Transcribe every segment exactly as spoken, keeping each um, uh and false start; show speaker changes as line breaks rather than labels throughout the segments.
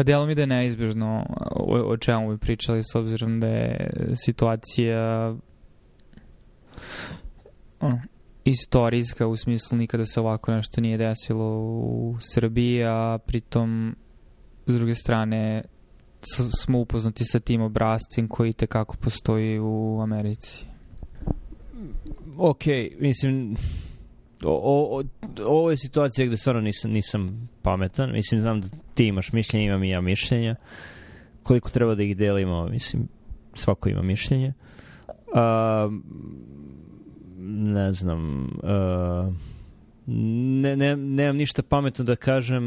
Pa delo mi da je neizbježno o, o čemu bi pričali, s obzirom da je situacija ono, istorijska, u smislu nikada se ovako nešto nije desilo u Srbiji, a pritom s druge strane smo upoznati sa tim obrascem koji tekako postoji u Americi.
Ok, mislim, o, o, ovo je situacija gde stvarno nisam, nisam pametan. Mislim, znam da ti imaš mišljenje, imam i ja mišljenja. Koliko treba da ih delimo, mislim, svako ima mišljenje. Uh, ne znam, uh, ne, ne, nemam ništa pametno da kažem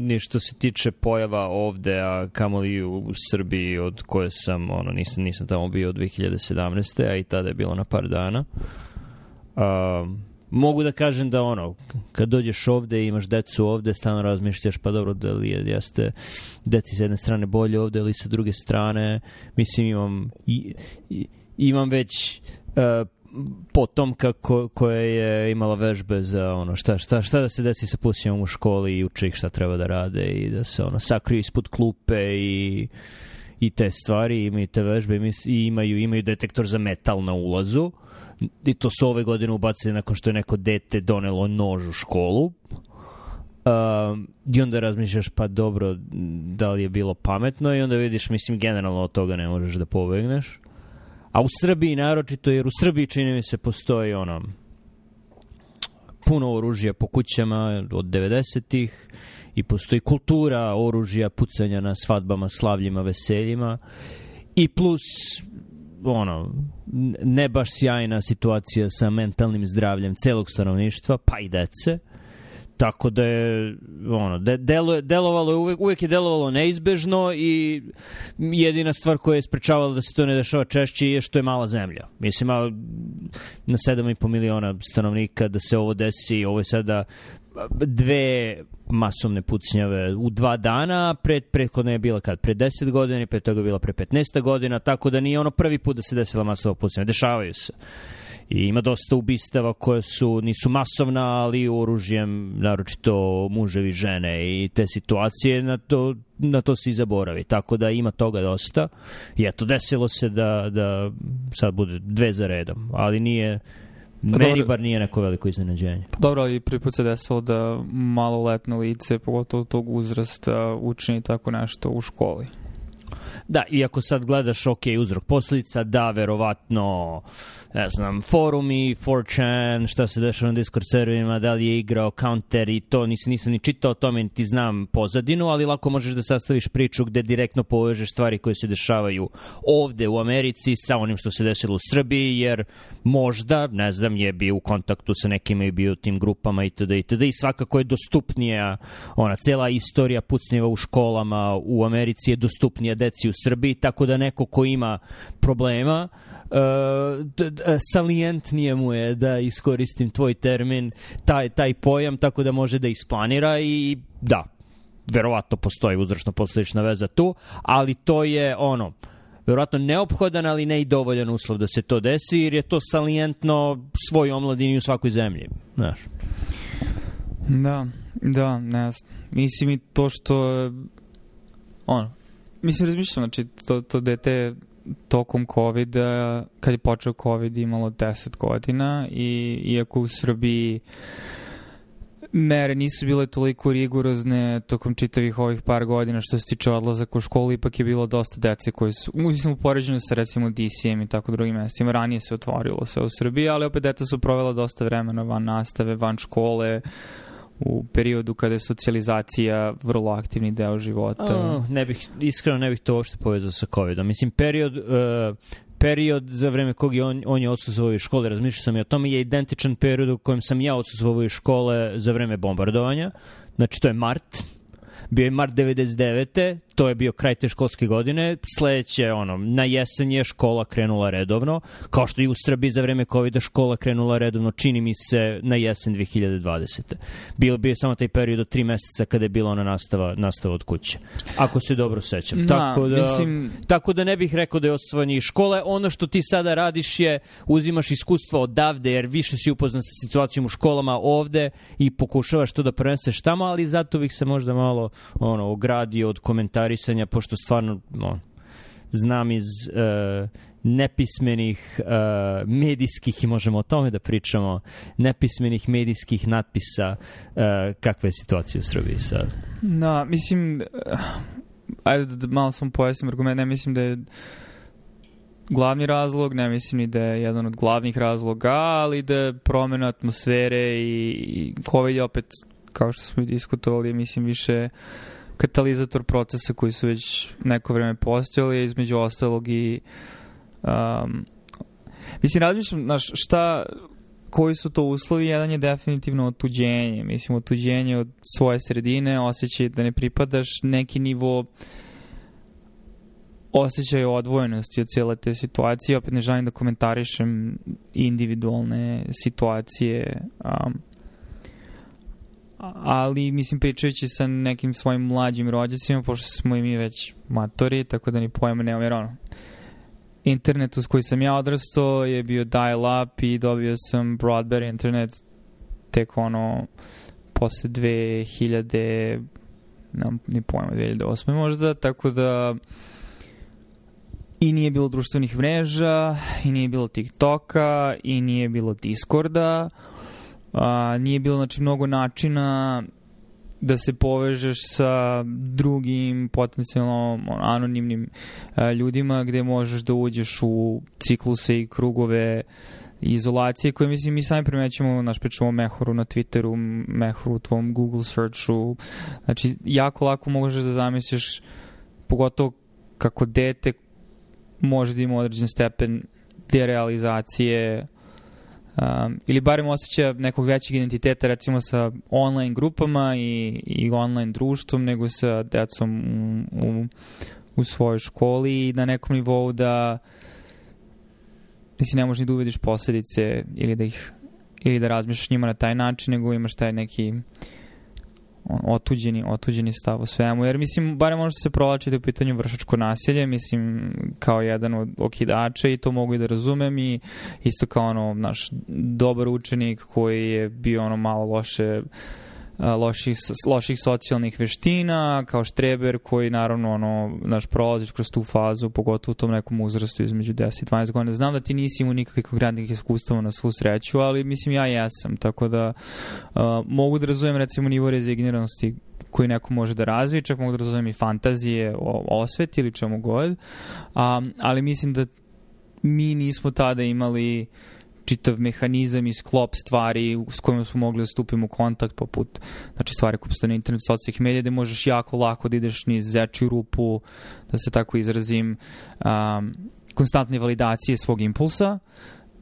ni što se tiče pojava ovde, a kamoli u Srbiji od koje sam, ono, nisam, nisam tamo bio od dve hiljade sedamnaeste. a i tada je bilo na par dana. Uh, mogu da kažem da ono, kad dođeš ovde i imaš decu ovde, stalno razmišljaš, pa dobro, da li je, jeste deci s jedne strane bolje ovde ili sa druge strane. Mislim, imam i, i, imam već uh, potomka ko, koja je imala vežbe za ono šta, šta, šta da se deci sa pusijom u školi i uče ih šta treba da rade i da se ono sakriju ispod klupe i, i te stvari, imaju te vežbe i imaju, imaju detektor za metal na ulazu. I to su ove godine ubacili nakon što je neko dete donelo nož u školu. Um, I onda razmišljaš, pa dobro, da li je bilo pametno, i onda vidiš, mislim, generalno od toga ne možeš da pobegneš. A u Srbiji naročito, jer u Srbiji čini mi se postoji ono puno oružja po kućama od devedesetih i postoji kultura oružja, pucanja na svadbama, slavljima, veseljima i plus ono, ne baš sjajna situacija sa mentalnim zdravljem celog stanovništva, pa i dece. Tako da je, ono, de, delo, delovalo je uvek, uvek je delovalo neizbežno i jedina stvar koja je sprečavala da se to ne dešava češće je što je mala zemlja. Mislim, malo, na sedam i po miliona stanovnika da se ovo desi, ovo je sada dve masovne pucnjave u dva dana, pred, prethodno je bila kad? Pre deset godina i pre toga je bila pre petnaest godina, tako da nije ono prvi put da se desila masova pucnjava. Dešavaju se. I ima dosta ubistava koje su, nisu masovna, ali oružjem, naročito muževi, žene i te situacije, na to, na to se i zaboravi. Tako da ima toga dosta. I eto, desilo se da, da sad bude dve za redom, ali nije, pa meni dobro, bar nije neko veliko iznenađenje.
Dobro, ali prvi put se desilo da maloletno lice, pogotovo tog uzrasta, učini tako nešto u školi.
Da, iako sad gledaš, ok, uzrok posledica, da, verovatno, ne znam, forumi, four chan, šta se dešava na Discord serverima, da li je igrao counter i to, nisam, nisam ni čitao o tome, ti znam pozadinu, ali lako možeš da sastaviš priču gde direktno povežeš stvari koje se dešavaju ovde u Americi sa onim što se desilo u Srbiji, jer možda, ne znam, je bio u kontaktu sa nekima i bio u tim grupama itd. itd. I svakako je dostupnija, ona, cela istorija pucnjeva u školama u Americi je dostupnija deci u Srbiji, tako da neko ko ima problema, Uh, d- d- salijentnije mu je, da iskoristim tvoj termin, taj, taj pojam, tako da može da isplanira i da, verovatno postoji uzročno-posledična veza tu, ali to je ono, verovatno neophodan, ali ne i dovoljan uslov da se to desi, jer je to salijentno svoj omladini u svakoj zemlji, znaš.
Da, da, ne znam. Mislim i to što ono, mislim, razmišljam, znači, to, to dete tokom COVID-a, kad je počeo COVID, imalo deset godina i iako u Srbiji mere nisu bile toliko rigorozne tokom čitavih ovih par godina što se tiče odlazaka u školu, ipak je bilo dosta dece koji su, mislim, u poređenju sa recimo D C M i tako drugim mestima, ranije se otvorilo sve u Srbiji, ali opet deca su provela dosta vremena van nastave, van škole, u periodu kada je socijalizacija vrlo aktivni deo života.
Oh, ne bih, iskreno ne bih to uopšte povezao sa covidom. Mislim, period, uh, period za vreme kog je on, on je odsustvovao iz škole, razmišljao sam i o tome, je identičan period u kojem sam ja odsustvovao iz škole za vreme bombardovanja. Znači, to je mart. Bio je mart devedeset devete. To je bio kraj te školske godine. Sledeće, ono, na jesen je škola krenula redovno. Kao što i u Srbiji za vreme covida škola krenula redovno, čini mi se, na jesen dve hiljade dvadesete. Bilo bio samo taj period od tri meseca kada je bila ona nastava, nastava od kuće. Ako se dobro sećam.
Da,
tako, da,
mislim...
tako da ne bih rekao da je odsustvovanje iz škole. Ono što ti sada radiš je uzimaš iskustva odavde, jer više si upoznan sa situacijom u školama ovde i pokušavaš to da preneseš tamo, ali zato bih se možda malo ono, ogradio od komentara komentarisanja, pošto stvarno no, znam iz uh, nepismenih uh, medijskih, i možemo o tome da pričamo, nepismenih medijskih natpisa uh, kakva je situacija u Srbiji sad.
No, mislim, ajde da malo sam pojasnim argument, ne mislim da je glavni razlog, ne mislim ni da je jedan od glavnih razloga, ali da je promjena atmosfere i, i COVID je opet, kao što smo i diskutovali, mislim više katalizator procesa koji su već neko vreme postojali, između ostalog i um, mislim, razmišljam, znaš, šta, koji su to uslovi, jedan je definitivno otuđenje, mislim, otuđenje od svoje sredine, osjećaj da ne pripadaš, neki nivo osjećaj odvojenosti od cijele te situacije. Opet ne želim da komentarišem individualne situacije, um, ali mislim, pričajući sa nekim svojim mlađim rođacima, pošto smo i mi već matori, tako da ni pojma nemam, jer ono, internet uz koji sam ja odrastao je bio dial-up i dobio sam broadband internet tek ono posle dve hiljade, nemam ni pojma, dve hiljade osme možda, tako da i nije bilo društvenih mreža, i nije bilo TikToka, i nije bilo Discorda, a, nije bilo, znači, mnogo načina da se povežeš sa drugim potencijalno anonimnim a, ljudima gde možeš da uđeš u cikluse i krugove izolacije koje, mislim, mi sami primećemo, naš pričamo o Mehoru na Twitteru, Mehoru u tvom Google searchu, znači jako lako možeš da zamisliš, pogotovo kako dete može da ima određen stepen derealizacije um, ili barem osjeća nekog većeg identiteta, recimo sa online grupama i, i online društvom, nego sa decom u, u, u svojoj školi i na nekom nivou da mislim, ne možeš ni da uvediš posljedice ili da ih ili da razmišljaš njima na taj način, nego imaš taj neki on, otuđeni, otuđeni stav u svemu. Jer, mislim, barem možete se provlačiti u pitanju vršačko nasilje, mislim, kao jedan od okidača i to mogu i da razumem i isto kao ono, naš dobar učenik koji je bio ono malo loše loših, loših socijalnih veština, kao štreber koji naravno ono, naš prolaziš kroz tu fazu, pogotovo u tom nekom uzrastu između deset i dvanaest godina. Znam da ti nisi imao nikakvih konkretnih iskustava na svu sreću, ali mislim ja jesam, tako da uh, mogu da razumijem recimo nivo rezigniranosti koji neko može da razvije, čak mogu da razumijem i fantazije o osveti ili čemu god, um, ali mislim da mi nismo tada imali čitav mehanizam i sklop stvari s kojima smo mogli da stupimo u kontakt, poput znači stvari koje postoje na internetu, socijalnih medija, gde možeš jako lako da ideš niz zečju rupu, da se tako izrazim, um, konstantne validacije svog impulsa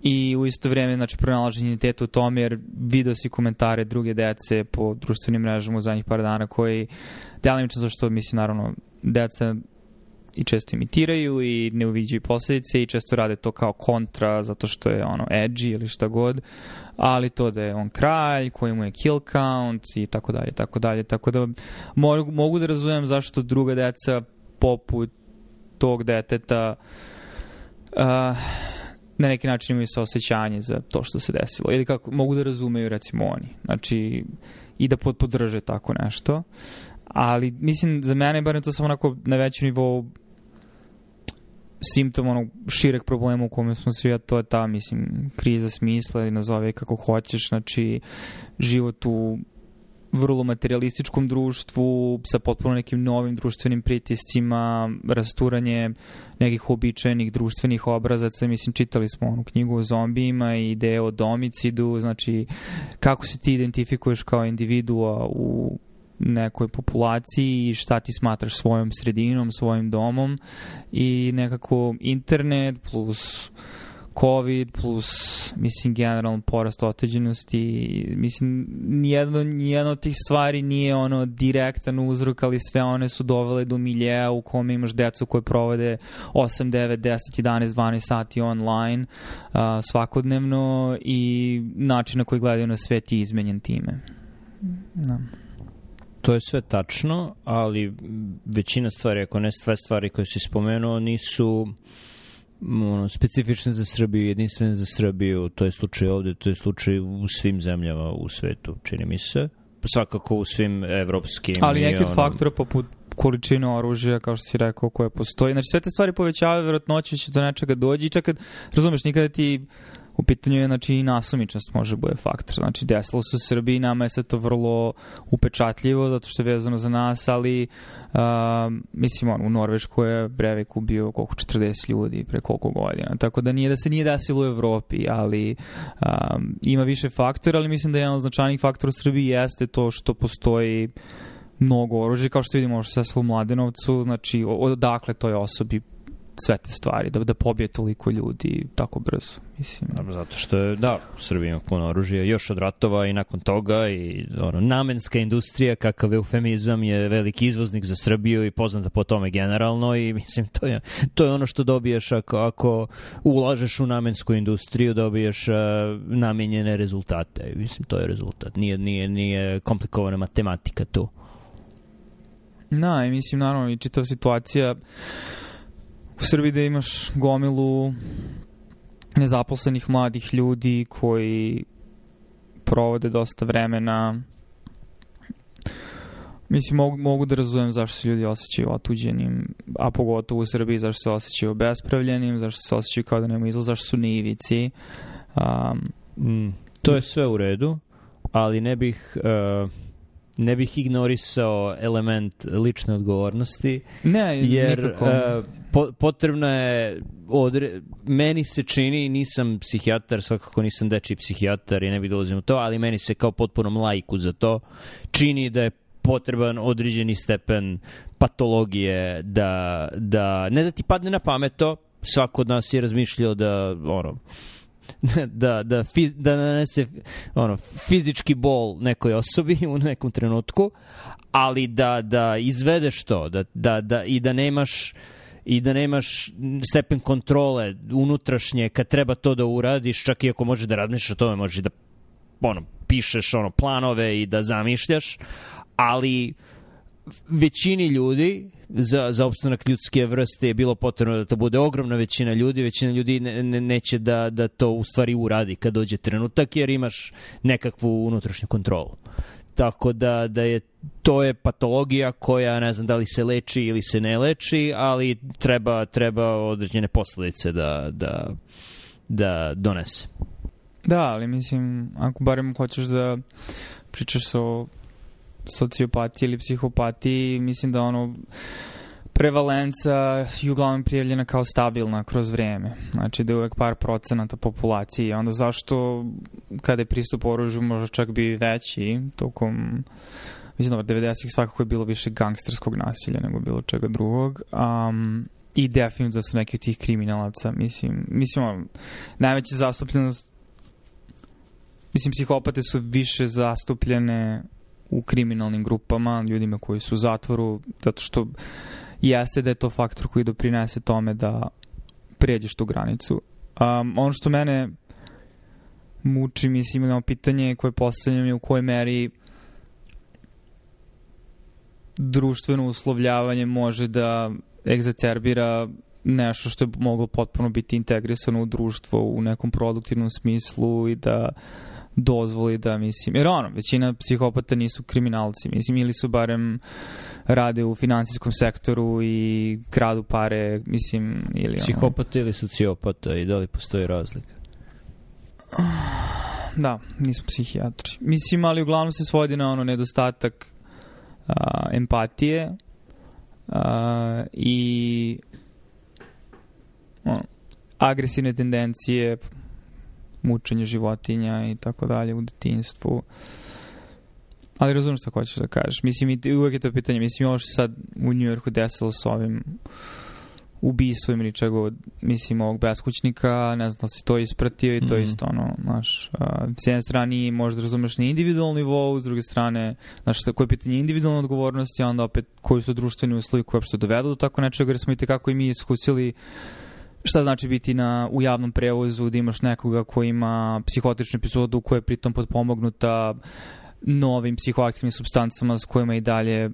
i u isto vrijeme znači pronalaženje identiteta u tome, jer video si komentare druge dece po društvenim mrežama u zadnjih par dana koji delimično zašto mislim naravno deca i često imitiraju i ne uviđaju posljedice i često rade to kao kontra zato što je ono edgy ili šta god, ali to da je on kralj koji mu je kill count i tako dalje, tako dalje, tako da mogu, mogu da razumem zašto druga deca poput tog deteta uh, na neki način imaju saosećanje za to što se desilo ili kako mogu da razumeju recimo oni, znači i da podrže tako nešto. Ali mislim za mene bar je to samo onako na većem nivou simptom onog šireg problema u kome smo svi, a to je ta, mislim, kriza smisla ili nazove kako hoćeš, znači život u vrlo materialističkom društvu sa potpuno nekim novim društvenim pritiscima, rasturanje nekih uobičajenih društvenih obrazaca, mislim, čitali smo onu knjigu o zombijima i ideje o domicidu, znači kako se ti identifikuješ kao individua u nekoj populaciji i šta ti smatraš svojom sredinom, svojim domom i nekako internet plus COVID plus mislim generalno porast otuđenosti, mislim nijedno, nijedno od tih stvari nije ono direktan uzrok, ali sve one su dovele do miljeja u kome imaš decu koje provode osam, devet, deset, jedanaest, dvanaest sati online uh, svakodnevno i način na koji gledaju na svet je izmenjen time. Da.
To je sve tačno, ali većina stvari, ako ne sve stvari koje si spomenuo, nisu ono, specifične za Srbiju, jedinstvene za Srbiju. To je slučaj ovde, to je slučaj u svim zemljama u svetu, čini mi se. Svakako u svim evropskim.
Ali neki od ono... faktora poput količinu oružja, kao što si rekao, koje postoji. Znači, sve te stvari povećavaju verovatnoću će do nečega dođi i čak kad, razumeš, nikada ti u pitanju je, znači, i nasumičnost može bude faktor. Znači, desilo se u Srbiji, nama je sve to vrlo upečatljivo, zato što je vezano za nas, ali uh, mislim, on, u Norveškoj je Breivik ubio koliko četrdeset ljudi pre koliko godina. Tako da nije da se nije desilo u Evropi, ali um, ima više faktora, ali mislim da jedan od značajnih faktora u Srbiji jeste to što postoji mnogo oružja, kao što vidimo što se u Mladenovcu, znači odakle toj osobi sve te stvari, da, da pobije toliko ljudi tako brzo, mislim.
Zato što je, da, u Srbiji ima puno oružja, još od ratova i nakon toga i ono, namenska industrija, kakav eufemizam, je veliki izvoznik za Srbiju i poznata po tome generalno i mislim, to je, to je ono što dobiješ ako, ako ulažeš u namensku industriju, dobiješ uh, namenjene rezultate. Mislim, to je rezultat. Nije, nije, nije komplikovana matematika tu.
Da, i mislim, naravno, i čitava situacija u Srbiji da imaš gomilu nezaposlenih mladih ljudi koji provode dosta vremena. Mislim, mogu, mogu da razumem zašto se ljudi osjećaju otuđenim, a pogotovo u Srbiji zašto se osjećaju obespravljenim, zašto se osjećaju kao da nema izlaz, zašto su na ivici. Um,
mm, to je sve u redu, ali ne bih... Uh... ne bih ignorisao element lične odgovornosti.
Ne,
jer
nikako.
Uh, po, potrebno je odre... meni se čini, nisam psihijatar, svakako nisam dečiji psihijatar i ne bih dolazim u to, ali meni se kao potpunom laiku za to čini da je potreban određeni stepen patologije da, da ne da ti padne na pamet to, svako od nas je razmišljao da ono da, da, fiz, da nanese ono, fizički bol nekoj osobi u nekom trenutku, ali da, da izvedeš to da, da, da, i da nemaš i da nemaš stepen kontrole unutrašnje kad treba to da uradiš, čak i ako možeš da razmišljaš o tome, možeš da ono, pišeš ono, planove i da zamišljaš, ali većini ljudi za, za opstanak ljudske vrste je bilo potrebno da to bude ogromna većina ljudi, većina ljudi ne, ne, neće da, da to u stvari uradi kad dođe trenutak, jer imaš nekakvu unutrašnju kontrolu. Tako da, da je to je patologija koja ne znam da li se leči ili se ne leči, ali treba, treba određene posledice da, da, da donese.
Da, ali mislim, ako barem hoćeš da pričaš o sociopatiji ili psihopatiji, mislim da ono prevalenca je uglavnom prijavljena kao stabilna kroz vreme. Znači da je uvek par procenata populacije. Onda zašto kada je pristup oružju možda čak bi veći tokom, mislim da devedesetih svakako je bilo više gangsterskog nasilja nego bilo čega drugog. Um, I definitivno da su neki od tih kriminalaca, mislim, mislim najveća zastupljenost, mislim, psihopate su više zastupljene u kriminalnim grupama, ljudima koji su u zatvoru, zato što jeste da je to faktor koji doprinese tome da pređeš tu granicu. Um, ono što mene muči, mislim, na pitanje koje postavljam je u kojoj meri društveno uslovljavanje može da egzacerbira nešto što je moglo potpuno biti integrisano u društvo u nekom produktivnom smislu i da dozvoli da, mislim, jer ono, većina psihopata nisu kriminalci, mislim, ili su barem rade u finansijskom sektoru i kradu pare, mislim, ili
psihopata ono. Ili sociopata i da li postoji razlika?
Da, nismo psihijatri. Mislim, ali uglavnom se svodi na ono nedostatak a, empatije a, i ono, agresivne tendencije, mučenje životinja i tako dalje u detinjstvu. Ali razumem što hoćeš da kažeš. Mislim, i uvek je to pitanje. Mislim, ovo što sad u Njujorku desilo s ovim ubistvom ili čega, mislim, ovog beskućnika, ne znam da si to ispratio i to mm-hmm. isto, ono, znaš, s jedne strane možda razumeš na individualnom nivou, s druge strane, znaš, koje je pitanje individualne odgovornosti, a onda opet koji su društveni uslovi koji uopšte dovedu do tako nečega, jer smo i tekako i mi iskusili šta znači biti na, u javnom prevozu, da imaš nekoga koji ima psihotičnu epizodu koja je pritom potpomognuta novim psihoaktivnim supstancama s kojima i dalje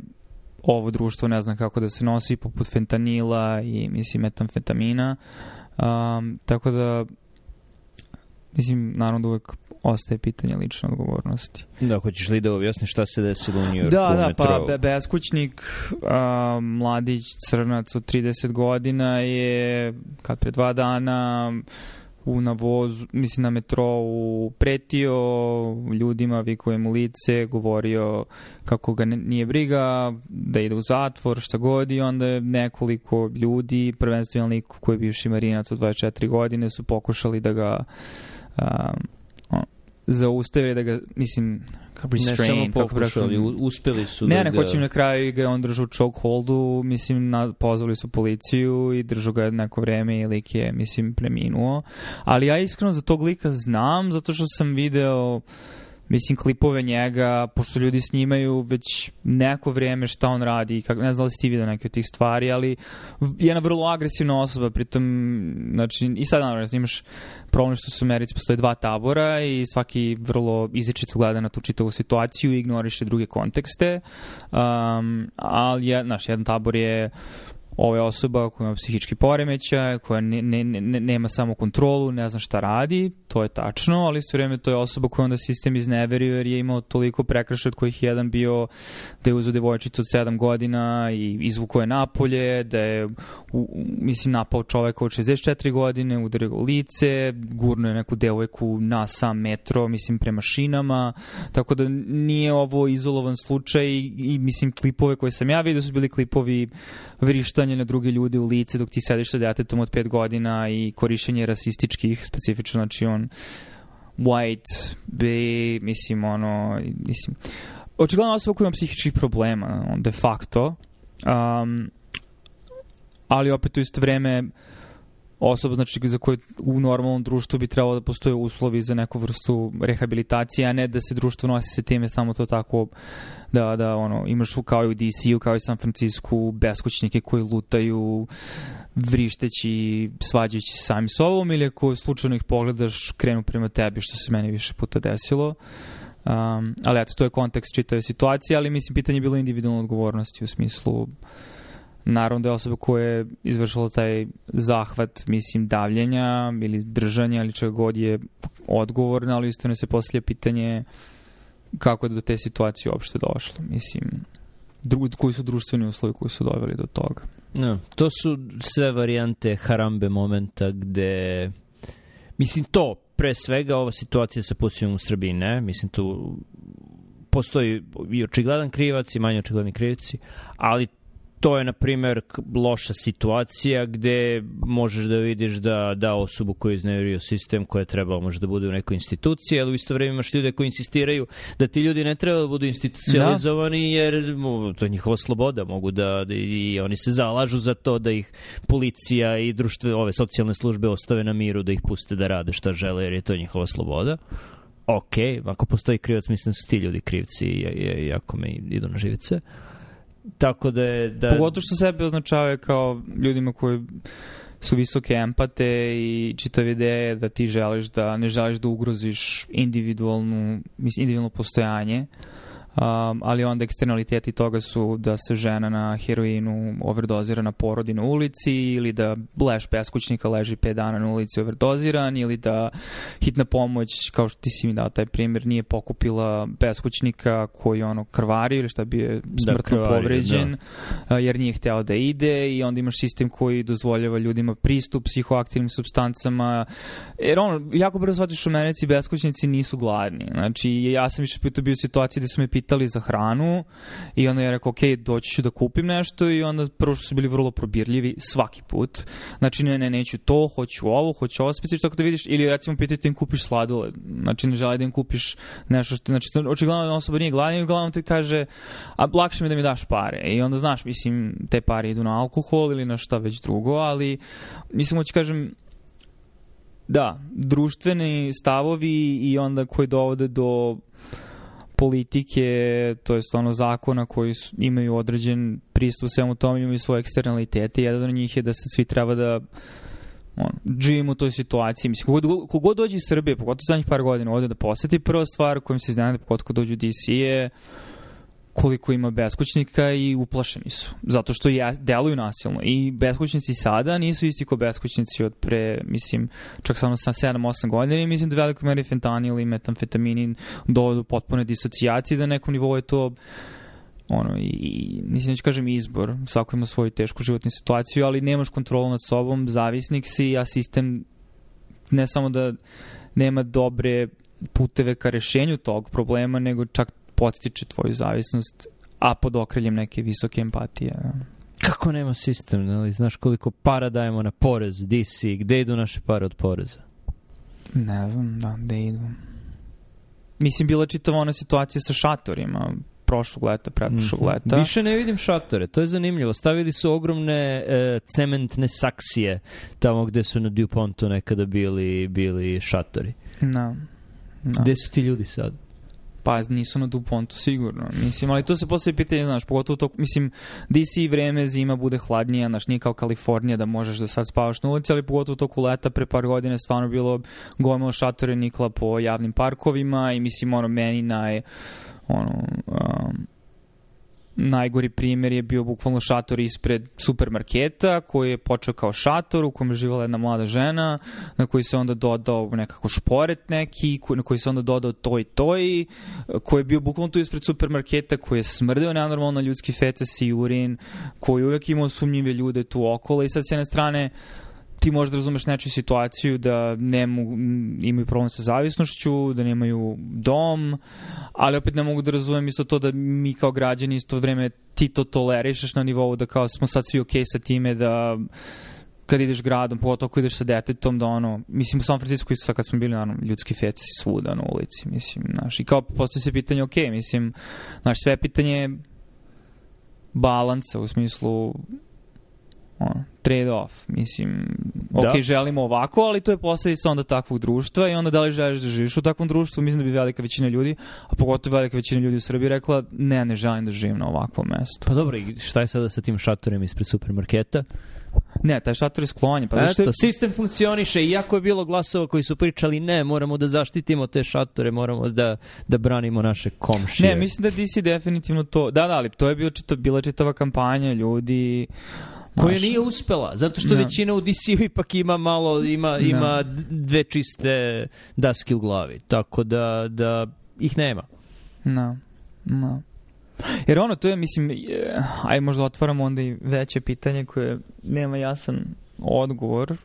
ovo društvo ne zna kako da se nosi, poput fentanila i, mislim, metamfetamina. Um, tako da mislim, naravno da uvek ostaje pitanje lične odgovornosti.
Da, hoćeš li da objasniš šta se desilo u Njujorku
da,
u
da,
metrou?
pa beskućnik, a, mladić crnac od trideset godina je kad pre dva dana u navozu, mislim na metrou, pretio ljudima, vikuje mu lice, govorio kako ga nije briga, da ide u zatvor, šta god, i onda je nekoliko ljudi, prvenstveno lik koji je bivši marinac od dvadeset četiri godine, su pokušali da ga a, on, zaustavili, da ga, mislim, restrain,
ne samo pokušali, uspeli su
ne,
da
ne,
ga...
hoćem na kraju ga on držao u chokeholdu, mislim, na, pozvali su policiju i držao ga neko vreme i lik je, mislim, preminuo. Ali ja iskreno za tog lika znam, zato što sam video, mislim, klipove njega, pošto ljudi snimaju već neko vreme šta on radi, kak, ne znam da li si ti video neke od tih stvari, ali jedna vrlo agresivna osoba, pritom, znači, i sad naravno imaš problem što su u Americi postoje dva tabora i svaki vrlo izričito gleda na tu čitavu situaciju i ignoriše druge kontekste, um, ali je, znaš, jedan tabor je ovo je osoba koja ima psihički poremećaj, koja ne, ne, ne, nema samo kontrolu, ne zna šta radi, to je tačno, ali isto vrijeme to je osoba koja onda sistem izneverio jer je imao toliko prekršaja od kojih je jedan bio da je uzeo devojčicu od sedam godina i izvukao je napolje, da je u, mislim napao čoveka od šezdeset četiri godine, udario ga u lice, gurnuo je neku devojku na sam metro, mislim prema šinama, tako da nije ovo izolovan slučaj i, i mislim klipove koje sam ja vidio su bili klipovi vrištanja na druge ljude u lice dok ti sediš sa djetetom od pet godina i korišćenje rasističkih, specifično, znači on white, be, mislim, ono, mislim, očigledno osoba koja ima psihičkih problema, on, de facto, um, ali opet u isto vreme osoba, znači, za koju u normalnom društvu bi trebalo da postoje uslovi za neku vrstu rehabilitacije, a ne da se društvo nosi sa time samo to tako da, da ono, imaš kao i u D C-u, kao i San Francisku, beskućnike koji lutaju vrišteći, svađajući se sami s ovom, ili ako slučajno ih pogledaš, krenu prema tebi, što se meni više puta desilo. Um, ali eto, to je kontekst čitave situacije, ali mislim, pitanje je bilo individualne odgovornosti u smislu naravno da je osoba koja je izvršila taj zahvat, mislim, davljenja ili držanja ili čega god je odgovorna, ali isto ne se postavlja pitanje kako je do te situacije uopšte došlo. Mislim, dru, koji su društveni uslovi koji su doveli do toga.
No, to su sve varijante harambe momenta gde, mislim, to pre svega ova situacija sa pušenjem u Srbiji, ne? Mislim, tu postoji i očigledan krivac i manje očigledni krivci, ali to je, na primjer, loša situacija gde možeš da vidiš da, da osobu koju je izneverio sistem, koja je trebala možda da bude u nekoj instituciji, ali u isto vreme imaš ljude koji insistiraju da ti ljudi ne treba da budu institucionalizovani, da. Jer to je njihova sloboda, mogu da, da i oni se zalažu za to da ih policija i društve, ove socijalne službe ostave na miru, da ih puste da rade šta žele, jer je to njihova sloboda. Ok, ako postoji krivac, mislim da su ti ljudi krivci i jako me idu na živice. Tako da je... Da...
Pogotovo što sebe označavaju kao ljudima koji su visoke empate i čitav ideje da ti želiš da ne želiš da ugroziš individualnu, mislim, individualno postojanje. Um, ali onda eksternaliteti toga su da se žena na heroinu overdozira na porodi na ulici, ili da leš beskućnika leži pet dana na ulici overdoziran, ili da hitna pomoć, kao što ti si mi dao taj primjer, nije pokupila beskućnika koji ono krvari ili šta bi je smrtno da, krvari, povređen, da. Jer nije hteo da ide, i onda imaš sistem koji dozvoljava ljudima pristup psihoaktivnim supstancama, jer ono, jako brzo shvatiš u Americi beskućnici nisu gladni. Znači, ja sam više puta bio u situaciji gde su me pitali za hranu i onda ja rekao, ok, doći ću da kupim nešto, i onda prvo što su bili vrlo probirljivi svaki put. Znači, ne, ne, neću to, hoću ovo, hoću ovo specifično, tako da vidiš, ili recimo pitati da im kupiš sladoled. Znači, ne želi da im kupiš nešto što, znači, očigledno da osoba nije gladna i uglavnom ti kaže, a lakše mi da mi daš pare. I onda, znaš, mislim, te pare idu na alkohol ili na šta već drugo, ali mislim, hoću kažem, da, društveni stavovi i onda koji dovode do politike, to jest ono zakona koji su, imaju određen pristup svemu tome, imaju svoje eksternalitete. Jedan od njih je da se svi treba da on, živimo u toj situaciji. Mislim, kogod, kogod dođe iz Srbije, pogotovo zadnjih par godina, ovdje da poseti, prva stvar kojom se iznenade, pogotovo dođu u D C je koliko ima beskućnika i uplašeni su. Zato što je, deluju nasilno. I beskućnici sada nisu isti kao beskućnici od pre, mislim, čak samo sa sedam osam godina i mislim da veliko meri fentanil i metamfetamin dovodu potpune disocijacije, da na nekom nivou je to ono, i, i mislim, neću kažem izbor, svako ima svoju tešku životnu situaciju, ali nemaš kontrolu nad sobom, zavisnik si, a sistem ne samo da nema dobre puteve ka rešenju tog problema, nego čak potiče tvoju zavisnost, a pod okriljem neke visoke empatije.
Kako nema sistem, ne? Znaš koliko para dajemo na porez, D C, gde idu naše pare od poreza?
Ne znam, da, gde idu. Mislim, bila čitava ona situacija sa šatorima, prošlog leta, pretprošlog mm-hmm. leta.
Više ne vidim šatore, to je zanimljivo. Stavili su ogromne e, cementne saksije tamo gde su na DuPontu nekada bili, bili šatori.
No. No.
Gde su ti ljudi sad?
Pa nisu na DuPontu sigurno. Mislim, ali to se posle pitanje, znaš, pogotovo to, mislim, D C vreme, zima bude hladnija, znaš, nije kao Kalifornija da možeš da sad spavaš na ulici, ali pogotovo toku leta pre par godina stvarno bilo gomilo šatore nikla po javnim parkovima i mislim, ono, meni naj ono, um, najgori primjer je bio bukvalno šator ispred supermarketa koji je počeo kao šator u kojem je živala jedna mlada žena na koji se onda dodao nekako šporet neki, na koji se onda dodao toj toj, koji je bio bukvalno tu ispred supermarketa, koji je smrdeo nenormalno ljudski feces i urin, koji je uvijek imao sumnjive ljude tu okolo i sad s jedne strane ti možda razumeš nečiju situaciju da ne mogu, imaju problem sa zavisnošću, da nemaju dom, ali opet ne mogu da razumem isto to da mi kao građani isto vreme ti to tolerišeš na nivou da kao smo sad svi okej sa time da kad ideš gradom, pogotovo ako ideš sa detetom, da ono, mislim u San Francisco isto sad kad smo bili, naravno, ljudski feci svuda na ulici, mislim, znaš, i kao postoji se pitanje, okej, mislim, znaš, sve pitanje balansa u smislu ono, trade off, mislim, ok, da. Želimo ovako, ali to je posljedica onda takvog društva i onda da li želiš da živiš u takvom društvu, mislim da bi velika većina ljudi, a pogotovo velika većina ljudi u Srbiji rekla, ne, ne želim da živim na ovakvom mestu.
Pa dobro, i šta je sada sa tim šatorima ispred supermarketa?
Ne, taj šator je sklonjen. Pa
Eto, je... sistem funkcioniše, iako je bilo glasova koji su pričali, ne, moramo da zaštitimo te šatore, moramo da, da branimo naše komšije.
Ne, mislim da D C definitivno to, da, da, ali to je bio čita, bila čitava kampanja ljudi
koja Maš... nije uspela, zato što no. većina u D C-u ipak ima malo, ima, ima no. dve čiste daske u glavi, tako da, da ih nema.
No, no. Jer ono, to je, mislim, je, aj možda otvaramo onda i veće pitanje koje nema jasan odgovor,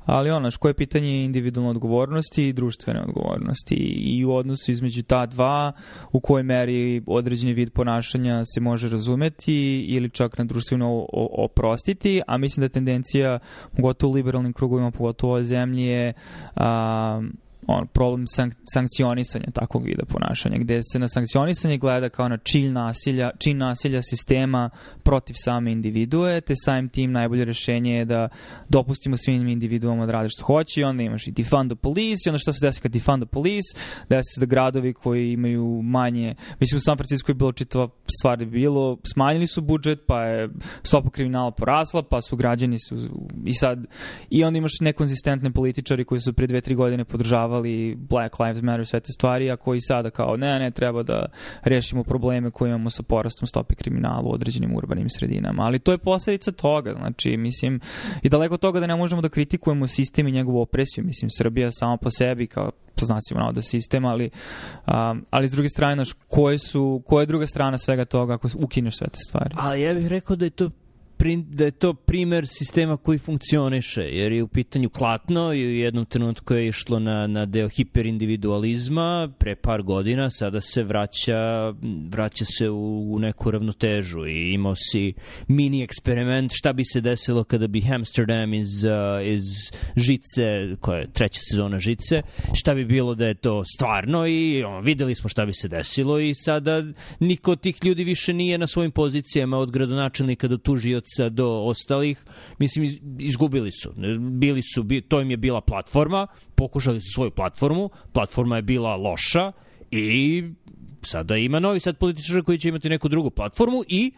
ali ono, koje je pitanje individualne odgovornosti i društvene odgovornosti i u odnosu između ta dva u kojoj meri određeni vid ponašanja se može razumeti ili čak na društveno oprostiti, a mislim da tendencija, pogotovo u liberalnim krugovima, pogotovo u ovoj zemlji je a, on, problem sank- sankcionisanja takvog vida ponašanja, gde se na sankcionisanje gleda kao na čin nasilja, čin nasilja sistema protiv same individue, te samim tim najbolje rešenje je da dopustimo svim individuama da rade što hoće i onda imaš i defund the police i onda šta se desi kad defund the police, desi se da gradovi koji imaju manje, mislim u San Francisco je bilo čitava stvar je bilo, smanjili su budžet, pa je stopa kriminala porasla, pa su građani su i sad, i onda imaš nekonzistentne političari koji su pre dve, tri godine podržavali Black Lives Matter, sve te stvari, a koji sada kao ne, ne, treba da rešimo probleme koje imamo sa porastom stope kriminala u određenim urbanim sredinama. Ali to je posljedica toga, znači, mislim, i daleko od toga da ne možemo da kritikujemo sistem i njegovu opresiju. Mislim, Srbija sama po sebi, kao po znacima navoda sistem, ali, um, ali s druge strane, naš, koje su, koja je druga strana svega toga ako ukineš sve te stvari?
Ali ja bih rekao da je to da je to primer sistema koji funkcioniše, jer je u pitanju klatno i u jednom trenutku je išlo na, na deo hiperindividualizma pre par godina, sada se vraća, vraća se u, u neku ravnotežu i imao si mini eksperiment šta bi se desilo kada bi Amsterdam iz, uh, iz Žice, koja je treća sezona Žice, šta bi bilo da je to stvarno i on, videli smo šta bi se desilo i sada niko od tih ljudi više nije na svojim pozicijama od gradonačelnika do tužioca do ostalih, mislim, izgubili su. Bili su, to im je bila platforma, pokušali su svoju platformu, platforma je bila loša i sada ima novi sad političar koji će imati neku drugu platformu i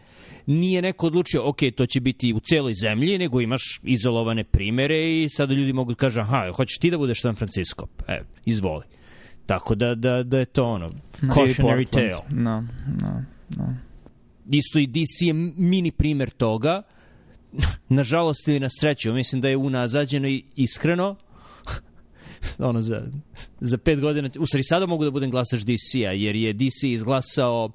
nije neko odlučio, ok, to će biti u celoj zemlji, nego imaš izolovane primere i sada ljudi mogu da kažu, aha, hoćeš ti da budeš San Francisco? E, izvoli. Tako da, da, da je to ono, cautionary tale.
No, no. da.
Isto i D C je mini primer toga. Nažalost ili na sreću, mislim da je unazađeno i iskreno. ono za, za pet godina, u stvari sada mogu da budem glasač D C-a, jer je D C izglasao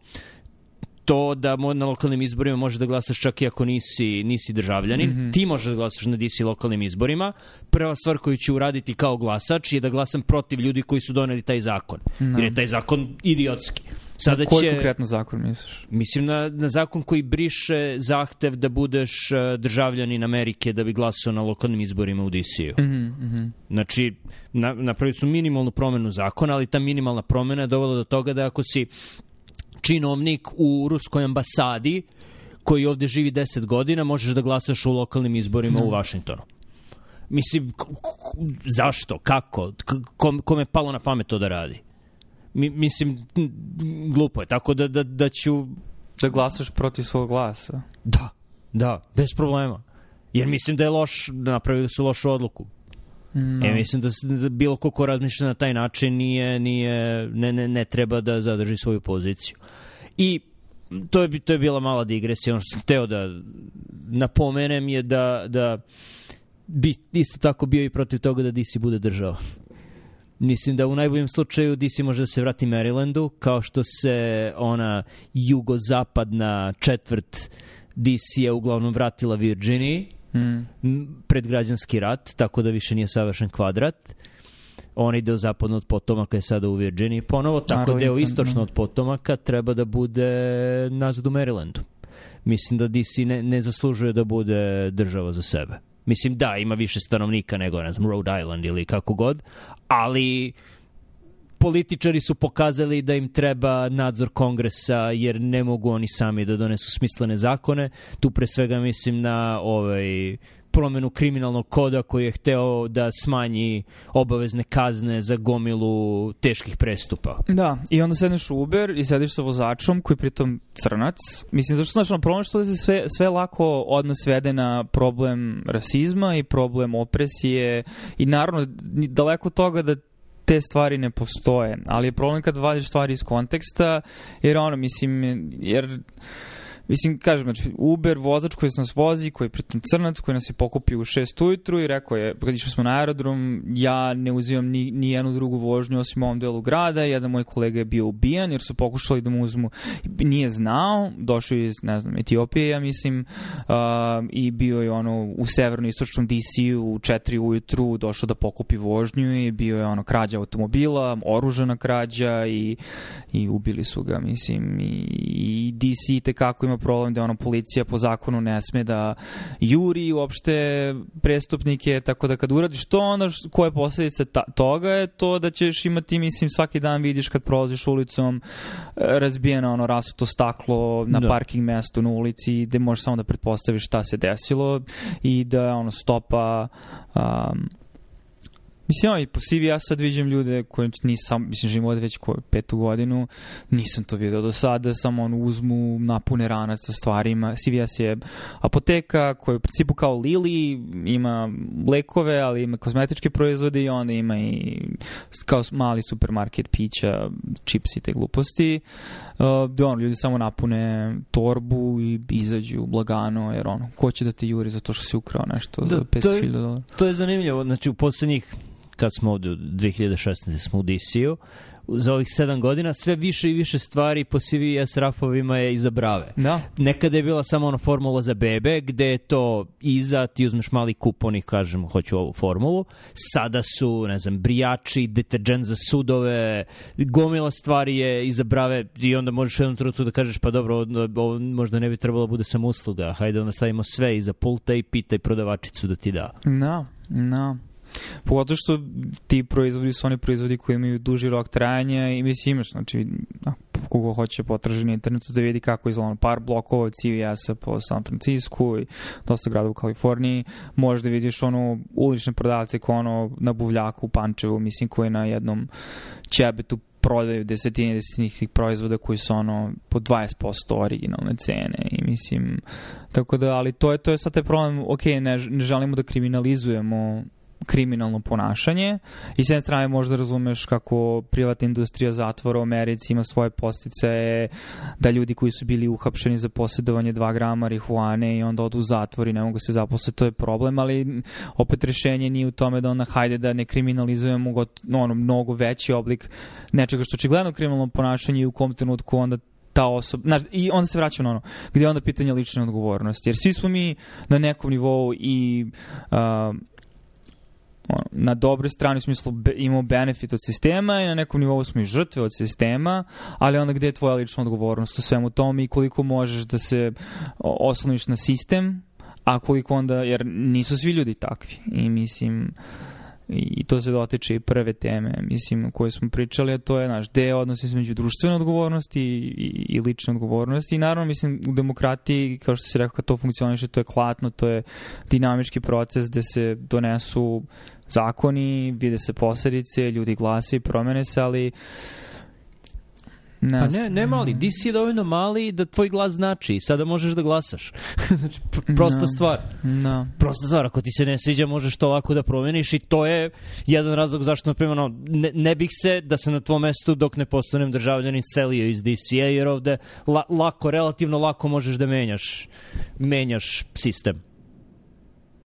to da na lokalnim izborima možeš da glasaš čak i ako nisi, nisi državljanin. Mm-hmm. Ti možeš da glasaš na D C lokalnim izborima. Prva stvar koju ću uraditi kao glasač je da glasam protiv ljudi koji su doneli taj zakon. No. Jer je taj zakon idiotski. Sada
Koji
će,
konkretno zakon misliš?
Mislim na, na zakon koji briše zahtev da budeš državljanin Amerike da bi glasao na lokalnim izborima u D C-u.
Mm-hmm, mm-hmm.
Znači, na, napravili su minimalnu promenu zakona, ali ta minimalna promena je dovela do toga da ako si činovnik u ruskoj ambasadi koji ovde živi deset godina, možeš da glasaš u lokalnim izborima mm. u Vašingtonu. Mislim, k- k- zašto? Kako? Kom, kome je palo na pamet to da radi? Mi, mislim, glupo je. Tako da, da, da ću...
Da glasaš protiv svog glasa?
Da, da, bez problema. Jer mislim da je loš, da napravili su lošu odluku. No. E, mislim da, da bilo ko ko razmišlja na taj način nije, nije, ne, ne, ne treba da zadrži svoju poziciju. I to je, to je bila mala digresija. Ono što sam hteo da napomenem je da, da bi isto tako bio i protiv toga da D C bude država. Mislim da u najboljem slučaju D C može da se vrati Marylandu, kao što se ona jugozapadna četvrt D C-a uglavnom vratila Virginiji. Mm. pred građanski rat, tako da više nije savršen kvadrat. On ide od zapadno od potomaka je sada u Virginiji ponovo, tako da deo istočno od potomaka treba da bude nazad u Marylandu. Mislim da D C ne, ne zaslužuje da bude država za sebe. Mislim da, ima više stanovnika nego, ne znam, Rhode Island ili kako god, ali političari su pokazali da im treba nadzor kongresa jer ne mogu oni sami da donesu smislene zakone. Tu pre svega mislim na ovaj promenu kriminalnog koda koji je hteo da smanji obavezne kazne za gomilu teških prestupa.
Da, i onda sedneš u Uber i sediš sa vozačom koji je pritom crnac. Mislim, zašto znači na problem što da se sve, sve lako odnos svede na problem rasizma i problem opresije i naravno daleko toga da te stvari ne postoje, ali je problem kad vadiš stvari iz konteksta, jer ono, mislim, jer mislim, kažem, znači, Uber vozač koji nas vozi, koji je pritom crnac, koji nas je pokupio u šest ujutru i rekao je, kad išli smo na aerodrom, ja ne uzimam ni, ni jednu drugu vožnju osim u ovom delu grada, jedan moj kolega je bio ubijan jer su pokušali da mu uzmu, nije znao, došao iz, ne znam, Etiopije, ja mislim, uh, i bio je ono u severno-istočnom D C-u u četiri ujutru, došao da pokupi vožnju i bio je ono krađa automobila, oružana krađa i, i ubili su ga, mislim, i, i D C tekako ima problem da ono policija po zakonu ne sme da juri uopšte prestupnike, tako da kad uradiš to, onda koja je posljedica ta, toga je to da ćeš imati, mislim, svaki dan vidiš kad prolaziš ulicom razbijeno ono rasuto staklo na da. parking mestu na ulici gde možeš samo da pretpostaviš šta se desilo i da ono stopa um, mislim, ovaj, po C V ja sad viđem ljude koji nisam, mislim, živim ovdje već koju, petu godinu, nisam to vidio do sada, samo on uzmu, napune ranac sa stvarima. C V S je apoteka koja u principu kao Lili, ima lekove, ali ima kozmetičke proizvode i onda ima i kao mali supermarket pića, čips i te gluposti. Uh, da ono, ljudi samo napune torbu i izađu blagano, jer ono, ko će da te juri zato što si ukrao nešto da, za petsto hiljada dolara?
To je zanimljivo, znači u poslednjih kad smo ovdje u dve hiljade šesnaeste smo u D C-u, za ovih sedam godina sve više i više stvari po C V S rafovima je iza brave.
Da.
Nekada je bila samo ona formula za bebe, gde je to iza, ti uzmeš mali kupon i kažemo hoću ovu formulu. Sada su, ne znam, brijači, deterđent za sudove, gomila stvari je iza brave i onda možeš u jednom trenutku da kažeš pa dobro, ovo možda ne bi trebalo bude samo usluga, hajde onda stavimo sve iza pulta i pitaj prodavačicu da ti da.
Da, da. Pogotovo što ti proizvodi su oni proizvodi koji imaju duži rok trajanja i mislim imaš, znači kogo hoće potraži na internetu da vidi kako izgleda par blokova od C V S-a po San Francisku i dosta grada u Kaliforniji, možeš da vidiš ono ulične prodavce kao ono na buvljaku u Pančevu, mislim koji na jednom ćebetu prodaju desetine desetine tih proizvoda koji su ono po dvadeset posto originalne cene i mislim, tako da, ali to je, to je sad taj problem, ok, ne, ne želimo da kriminalizujemo kriminalno ponašanje i s jedne strane možda razumeš kako privatna industrija zatvora u Americi ima svoje posticaje, da ljudi koji su bili uhapšeni za posjedovanje dva grama marihuane i onda odu u zatvor i ne mogu se zaposliti, to je problem, ali opet rešenje nije u tome da onda hajde da ne kriminalizujemo got, ono, mnogo veći oblik nečega što očigledno kriminalno ponašanje i u kom trenutku onda ta osoba, znaš, i onda se vraćam na ono, gdje je onda pitanje lične odgovornosti, jer svi smo mi na nekom nivou i uh, ono, na dobroj strani u smislu be, imamo benefit od sistema i na nekom nivou smo i žrtve od sistema, ali onda gdje je tvoja lična odgovornost u svemu tome i koliko možeš da se osloniš na sistem, a koliko onda, jer nisu svi ljudi takvi i mislim i to se dotiče i prve teme, mislim, o kojoj smo pričali, a to je, znaš, gde je odnos između društvene odgovornosti i, i, i lične odgovornosti. I naravno, mislim, u demokratiji, kao što si rekao, kad to funkcioniše, to je klatno, to je dinamički proces gde se donesu zakoni, vide se posledice, ljudi glase i promene se, ali
Ne, pa ne, ne mali, di si je dovoljno mali da tvoj glas znači i sada možeš da glasaš. Znači, prosta no. stvar.
No.
Prosta stvar, ako ti se ne sviđa možeš to lako da promeniš i to je jedan razlog zašto, na primjer, no, ne, ne bih se da se na tvom mestu dok ne postanem državljanin selio iz D C A, jer ovde la, lako, relativno lako možeš da menjaš, menjaš sistem.